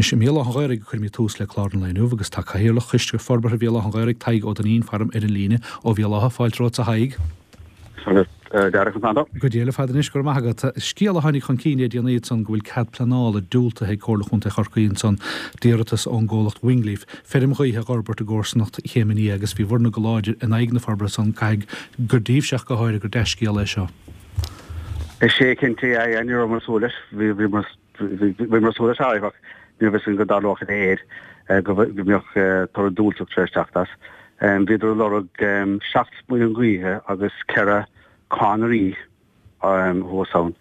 Anois, i mBéal Átha an Ghaorthaidh a cuirimid tús le clár an lae inniu agus tá Cathaoirleach Choiste Forbartha Bhéal Átha an Ghaorthaidh, Tadhg Ó Duinnín, faram ar an líne ó Bhéal Átha. Fáilte romhat a Thaidhg. Go Dia le fada anois, go raibh maith agat. Scéal a tháinig chun cinn le déanaí ansan go bhfuil cead pleanála diúltaithe ag Comhairle Chontae Chorcaí ansan d'iarratas ón gcomhlacht Wingleaf feirm ghaoithe a dh'fhorbairt i gcomharsanacht Chéim an Fhia agus bhí bhur-ne go láidir in aghaidh na forbartha san. Caithfidh gur daoibhse ach go háirithe gur dea-scéal é seo. Is é cinnte é, ní rabhamar ag súil leis. Bhíomar ag súil leis áfach, ní raibh fhios againn go dtarlódh a leithéid, go mbeadh toradh diúltach tar éis teacht as. Bhíodar ag lorg 7 muileann gaoithe agus 4 cadhnraí thuas ann,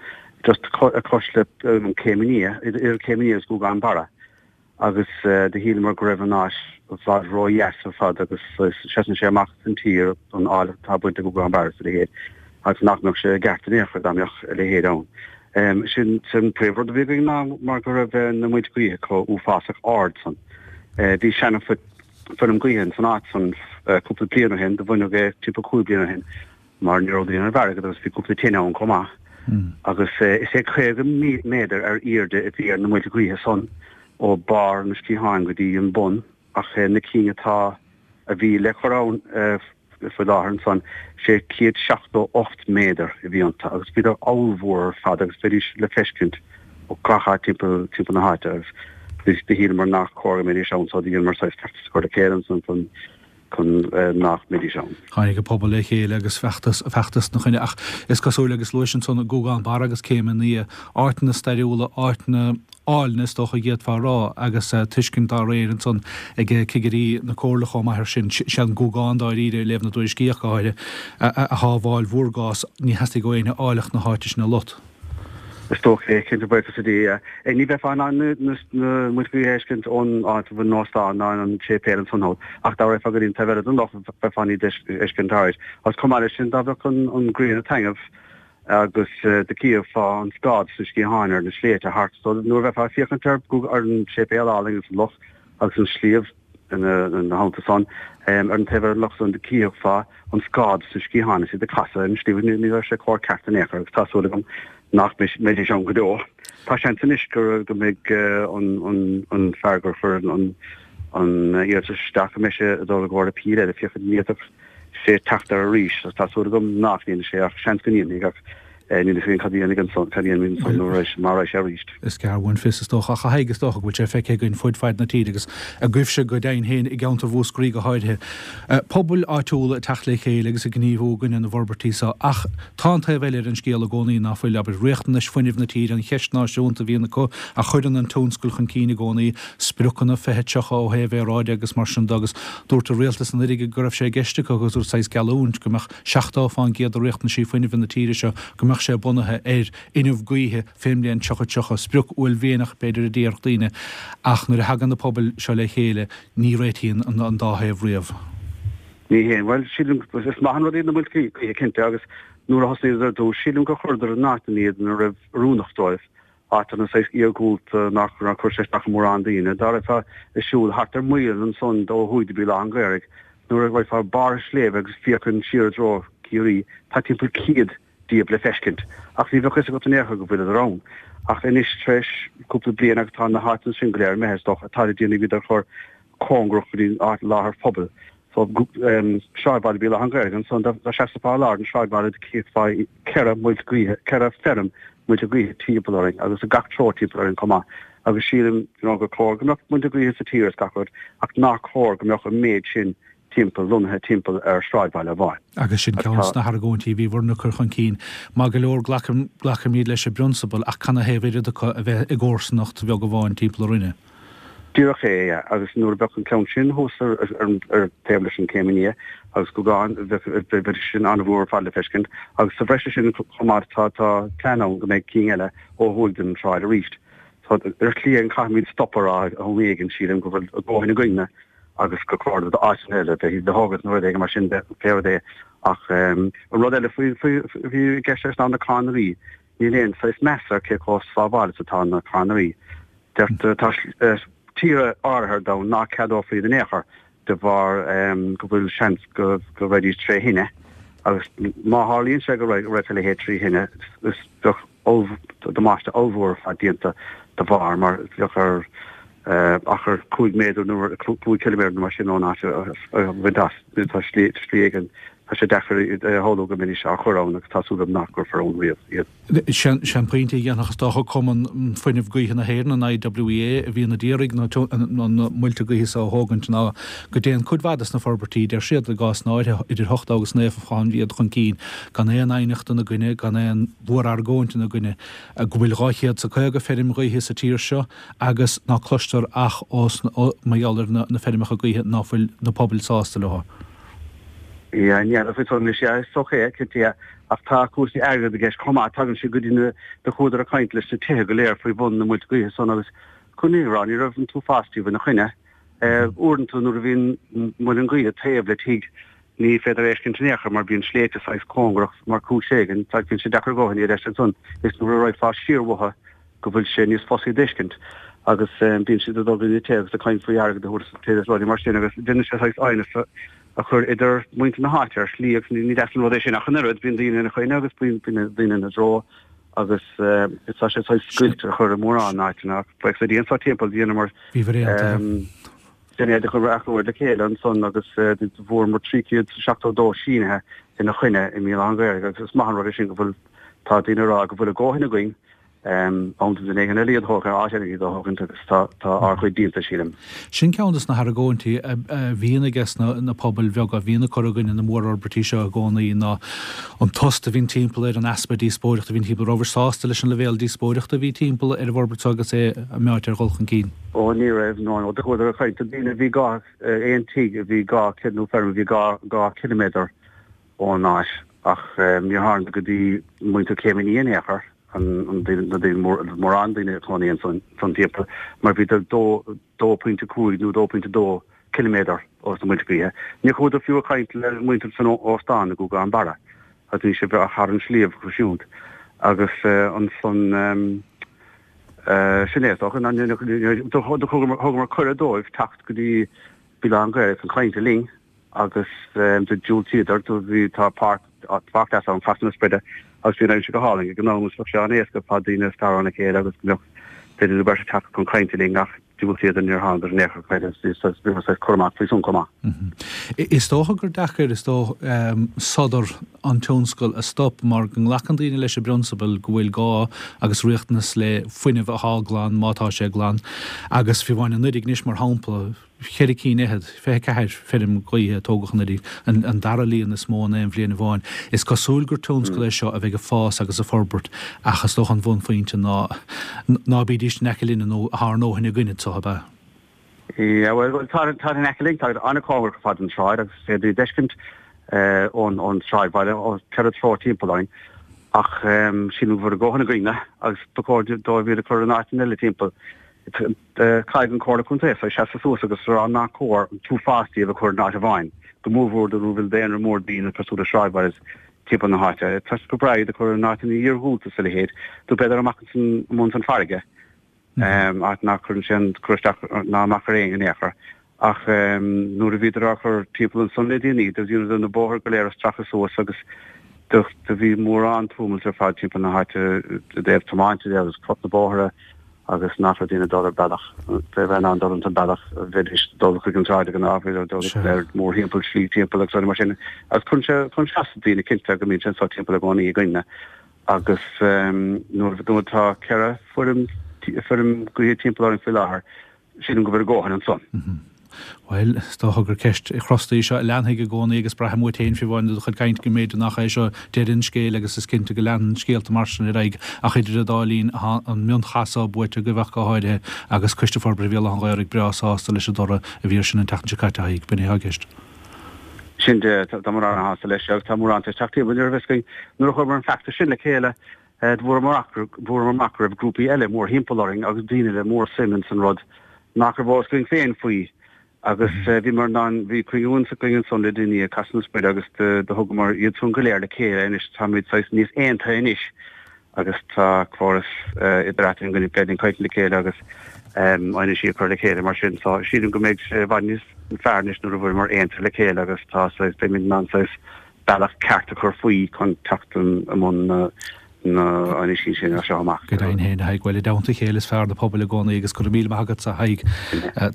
just cois le Céim an Fhia, idir Céim an Fhia agus Guagán Barra. agus do shíleamar go raibh an áit i bhfad ró-dheas ar fad agus seasann sé amach san tír an áilleacht atá bainte le Guagán Barra is a leithéid agus nach mbeadh sé i gceart in aon chor dá mbeadh a leithéid ann. Sin an príomh-rud a bhí againn ná mar go raibh na muilte gaoithe chomh uafásach ard san. Bhí seana-fheirm gaoithe san áit san cúpla bliain ó shin, do baineadh é timpeall 5 bliana ó shin mar ní raibh daoine raibh airgead agus bhí cúpla tine ann chomh maith. Agus is é 50 méadar ar airde a bhí ar na muilte gaoithe san ó barr na sciatháin go dtí an bun ach na cinn atá, a bhí le cur ann faoi láthair ansan, sé 178 méadar a bhí iontu agus bhíodar ollmhór ar fad agus bheidís le feiscint ó gach áit timpeall timpeall na háite agus do shíleamar nach cóir go mbeidís ann so do dheineamar saghas feachtas a chur le chéile ansan chun chun nach mbeidís ann. Tháinig an pobal le chéile agus feachtas, feachtas ina choinne ach is cosúil, agus luais ansan Guagán Barra agus Céim an Fhia, áiteanna stairiúla, áiteanna áilne is dócha a d'fhéadfá a rá agus tuiscint dá réir ansan ag cigirí na Comhairle chomh maith air sin. Sé an Guagán dáiríre, i léamh na dtuairiscí ach go háirithe, a shábháil bhur gcás, ní theastaigh ó éinne áilleacht na háite sin a lot. Is dócha é, cinnte, buíochas le Dia. Ní bheifeá in ann na muilte gaoithe a fheiscint ón áit a bhfuil an óstán ná an séipéal ansan thall, ach dá raghfá go dtí an taobh eile den loch bheifeá in ann iad a fheiscint alright. Agus chomh maith leis sin, dá bheadh an ghrian ag taitneamh agus do chífeá an scáth sna sciatháin ar na sléibhte thart, so nuair a bheifeá ag féachaint ar an séipéal álainn agus an loch agus an sliabh, Ina theannta san, ar an taobh eile den loch san, do chífeá an scáth sna sciatháin is iad ag casadh ar an sliabh. Ní raibh sé chomh ceart in aon chor agus tá súil agam nach mbeidís ann go deo. Tá seans anois go mbeidh an fear gur chuir an iarratas isteach, go mbeidh sé ag dul i gcomhair appeal eile féachaint an bhféadfadh sé teacht air arís. Tá súil agam nach ndéanfaidh sé ach seans go ndéanfaidh ach Níl a fhios againn cad a dhéanfaidh ansan, cad a dhéanfaidh ansan nuair a raghaidh sé, má raghaidh sé arís. Is gearr uainn fios is dócha. Ach a Thaidhg, is dócha go bhfuil sé feicthe againn fud fad na tíre agus agaibhse go deimhin féin i gceantar Mhúscraí go háirithe, pobail áitiúla ag teacht le chéile agus ag gníomhú i gcoinne na bhforbairtí seo. Ach tá an taobh eile ar an scéal i gcónaí, ná fuil, abair, riachtanais fuinnimh na tíre, an cheist náisiúnta a bhíonn acu, a chuireann an tionscal chun cinn i gcónaí, spriocanna 2030 ó thaobh aeráide agus mar sin de agus dúirt an rialtas anuraidh go raibh sé i gceist acu agus saghas geallúint go mbeadh 70% de riachtanaisí fuinnimh na tíre seo, go mbeadh sé bunaithe ar fhuinneamh gaoithe fén mbliain 3030, sprioc uaillmhianach b'fhéidir a déarfadh daoine, ach nuair a thagann na pobail seo le chéile ní réitíonn an dá thaobh riamh. Ní hea. Bhuel, sílim, is maith an rud iad na muilte gaoithe cinnte agus nuair a thosnaíodar ar dtús, sílim gur chuireadar in áiteanna iad ina raibh oiriúnach dóibh. áiteanna saghas iargúlta nach raibh chuir sé isteach ar mhórán daoine. Dá raghfá ag siúl thart ar mhaoilinn ansan ó thuaidh de Bhéal Átha an Ghaorthaidh, nuair a raghfá barr sléibhe agus féachaint siar i dtreo Ciarraí, tá timpeall 100 díobh le feiscint. Ach ní bheadh fhios agat in aon chor go bhfuileadar ann. Ach anois tar éis cúpla bliain agus tá na háiteanna sin go léir imithe is dócha, tá le déanamh iad a chur cóngarach go dtí an áit láthair phobail. So, sráidbhaile Bhéal Átha an Ghaorthaidh ansan, dá seasfá i lár an sráidbhaile do chífeá 4 muilt gaoithe, 4 feirm muilte gaoithe timpeall orainn agus i gach treo timpeall orainn chomh maith. Agus sílim, you know, gur chóir go mbeadh muilte gaoithe sa tír is gach rud ach nach cóir go mbeadh an méid sin timpeall, lonnaithe timpeall ar sráidbhaile amháin. Agus sin ceann de na hargóintí a bhí bhur-ne ag cur chun cinn. Maith go leor, glacaim, glacaimid leis i bprionsabal ach canathaobh oiread acu a bheith i gcomharsanacht bheag amháin timpeall orainne? Díreach é, yeah. Agus nuair a bheadh an ceann sin thuas ar ar taobh leis an Céim an Fhia agus Guagán, bheadh bheadh sin an-mhór ar fad le feiscint. Agus sa bhreis ar sin chomh maith tá tá plean ann go mbeidh cinn eile ó thuaidh den tsráid arís. So ar shlí éigin caithfimid stop a rá am éigin sílim go bhfuil a dhóthain againne agus gur chóir d'áiteanna eile bheith le thógaint nó rud éigin mar sin de pé rud é. Ach an rud eile faoi faoi bhí i gceist leis ná na cadhnraí. Níl aon saghas meas ar cé chomh sábháilte is atá na cadhnraí. Deirtear, tá tíortha áirithe ar domhan ná ceadófaí iad in aon chor de bharr go bhfuil seans go raghaidís tré thine agus má tharlaíonn sé go raghadh a leithéid trí thine is bheadh damáiste ollmhór ar fad déanta de bharr mar bheadh ar. Achar 5 méadar nó 5 ciliméadar nó mar sin ón áit a bhaint as. Tá slí éigin, tá sé deacair a shamhlú go mbeidís á chur ann agus tá súil agam nach gcuirfear ann riamh iad. Sé an pointe a dhéanfadh is dócha Cumann Fuinnimh Gaoithe na hÉireann, an IWEA, a bhíonn a d'iarraidh na muilte gaoithe seo a thógaint ná go dtéann cuid mhaith des na forbairtí, deir siad, i gcásanna áirithe, idir 80 agus 90 fán gcéad chun cinn, gan aon aighneacht ina gcoinne, gan aon mhórargóint ina gcoinne, go bhfuil 250 feirm ghaoithe sa tír seo agus ná cloistear ach os mar gheall ar na feirmeacha gaoithe ná fuil na pobail sásta leo. Yeah, ní faoi san anois, yeah, is dócha é, cinnte, yeah. Ach tá cúrsaí airgid i gceist chomh maith, tagann sé go dtí na, do chuadar ag caint leis na tithe go léir faoi bhun na muilte gaoithe san agus chun é a rá, ní raibh an t-uafás díobh ina choinne. Uaireanta nuair a bhíonn muileann gaoithe taobh le tigh ní féidir é fheiscint in aon chor mar bíonn sléibhte saghas cóngarach mar chúis éigin, bíonn sé deacair a dhóthain iad a fheiscint ansan is nuair a raghfá siar uathu go bhfuil sé níos fusa iad a fheiscint agus bíonn siad ag dul go dtí na tithe agus ag caint faoi airgead a thabhairt is rudaí mar sin agus déanann sé saghas aighneas a chur idir muintir na háite ar shlí agus ní deas an rud é sin ach an oiread, bíonn daoine ina choinne agus bíonn daoine ina dtreo agus tá sé saghas scoilt a chur i mórán áiteanna ach bheadh sé dian sá timpeall dheineamar Sinéad a chur achomhairc le chéile ansan agus bhfuaireamar 372 sínithe ina choinne i mBéal Átha an Ghaorthaidh agus is maith an rud é sin go bhfuil tá daoine ag rá go bhfuil a dhóthain againn am do dhuine éigin eile iad a thógaint, áit eile iad a thógaint agus tá tá ár gcuid déanta sílim. Sin ceann de na hargóintí a bhíonn aige na pobail bheaga a bhíonn ag cur i gcoinne na mórfhorbairtí seo i gcónaí ná an tost a bhíonn timpeall air, an easpa díospóireachta a bhíonn timpeall. Rabhais sásta leis an leibhéal díospóireachta a bhí timpeall ar an bhforbairt seo agus é meáite ar dhul chun cinn? Ó ní raibh, no no, do chuadar ag caint do daoine a bhí dhá, aon tigh a bhí dhá, nó feirm a bhí dhá, 2 ciliméadar ón áit ach níor tháingadar go dtí muintir Chéim an Fhia in aon chor, an, an daoine, na daoine mór, mórán daoine a chónaí ansan, san timpeall mar bhíodar dó, 2.5 nó 2.2 ciliméadar ós na muilte gaoithe. Níor chuadar fiú ag caint le muintir san óstán i nGúgán Barra agus bhí sé thar an sliabh siúd agus ansan, Sin é, is dócha. Thugamar cuireadh dóibh teacht go dtí Béal Átha an Ghaorthaidh chun cainte linn agus do diúltaíodar. Do bhí, tá páirc, páirc deas ann, Casadh na Sproide, agus bhí an aimsir go hálainn ag an am agus bheadh sé an-éasca fá daoine ag scaradh óna chéile agus go mbeadh duine nó beirt ag teacht chun cainte linn ach diúltaíodar, níor thángadar in aon chor agus bhíomar saghas curtha amach faoi san chomh maith. Is dócha gur deacair, is dóigh, sodar an tionscal a stop mar go nglacann daoine leis i bprionsabal go bhfuil gá agus riachtanas le fuinneamh athá glan má tá sé glan agus fiú amháin anuraidh anois mar shampla cheithre cinn fhichead, 24 feirm gaoithe a tógadh anuraidh, an dara líon is mó in aon bhliain amháin. Is cosúil gur tionscal é seo a bheidh ag fás agus ag forbairt ach is dócha an bhunphointe ná ná bídís in aice linne nó thá ár ndóthain againn anseo, ab ea? Yeah, bhuel, bhuel, tá, tá in aice linn, tá an-chóngarach ar fad don tsráid agus is féidir iad d'fheiscint ón, ón sráidbhaile, ó cheithre treo timpeall orainn. Ach sílim go bhfuil a dhóthain againne agus ba chóir dóibh iad a chur in áiteanna eile timpeall. Caithfidh an Chomhairle Contae saghas seasamh suas agus a rá nach cóir an t-uafás díobh a chur in áit amháin, go mórmhór nuair a bhfuil daonra mór daoine cosúil le sráidbhaile timpeall na háite. Tá sé go breá iad a chur in áiteanna iarghúlta is a leithéid, nó b'fhéidir amach ansan amuigh ins an farraige. áit nach gcuireann sé aon cur isteach ná amach ar éinne in aon chor. Ach nuair a bhíodar á chur timpeall ansan le déanaí, do dheineadar na bóithre go léir a stracadh suas agus do bhí mórán tumalt ar fad timpeall na háite i dtaobh tiomáinte de agus crot na bóithre agus nach raibh daoine ag dul ar bealach, bheith in ann dul ins an bealach, bheidís ag dul chuig an tsráid ag an am, bhíodar ag dul ar mórthimpeall, slí timpeall agus rudaí mar sin. Agus cuireann sé, cuireann sé as do daoine cinnte go mbíonn sé anso timpeall i gcónaí againne. Agus nuair atá 4 feirm gaoithe timpeall orainn faoi láthair, sílim go bhfuil a dhóthain ansan. Bhuel, is dócha gur ceist chrosta í seo a leanfaidh i gcónaí agus braithim uait féin, fiú amháin, i do chuid cainte go mb'fhéidir nach é seo deireadh an scéil agus is cinnte go leanann scéalta mar sin ar aghaidh ach idir an dá linn tá an mionchath so buaite agaibh ach go háirithe agus Coiste Forbartha Bhéal Átha an Ghaorthaidh breá sásta leis an dtoradh a bhí air sin an tseachtain seo caite, a Thaidhg. B'in é atá i gceist. Sin de, tá mórán sásta leis agus tá mórán tar éis teacht timpeall. Ní raibh fhios againn nuair a chuireamar an feachtas sin le chéile, bhfuaireamar amach go raibh grúpaí eile mórthimpeall orainn agus daoine le mór suim ins an rud nach raibh eolas againn féin faoi. Agus bhíomar in ann, bhí cruinniú againn ansan le déanaí ag Casadh na Sproide agus do thugamar iad san go léir le chéile anois, táimid saghas níos aontaithe anois. agus tá córas idir eatarthu go bhféadfainn caint le chéile agus aighnisí a chur le chéile mar sin. So sílim go mbeidh sé i bhfad níos fearr anois nuair a bhfuileamar aontaithe le chéile agus tá saghas, beimid in ann saghas bealach ceart a chur faoi chun teacht i mbun na. na áinísí sin as seo amach. Go deimhin féin, a Thaidhg. Bhuel, i dteannta a chéile is fearr na pobail i gcónaí agus go raibh míle maith agatsa, a Thaidhg.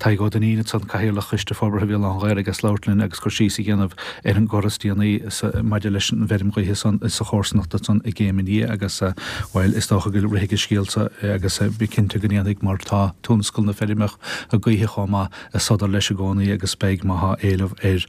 Tadhg Ó Duinnín ansan, Cathaoirleach Choiste Forbartha Bhéal Átha'n Ghaorthaidh as labhairt linn agus cur síos a dhéanamh ar an gcor is déanaí maidir leis an bhfeirm ghaoithe san sa chomharsanacht ansan i gCéim an Fhia agus, bhuel, is dócha go rithfidh an scéal so agus bí cinnte go ndéanfaidh mar tá tionscal na feirmeacha gaoithe chomh maith ag sodar leis i gcónaí agus beidh má tá éileamh ar.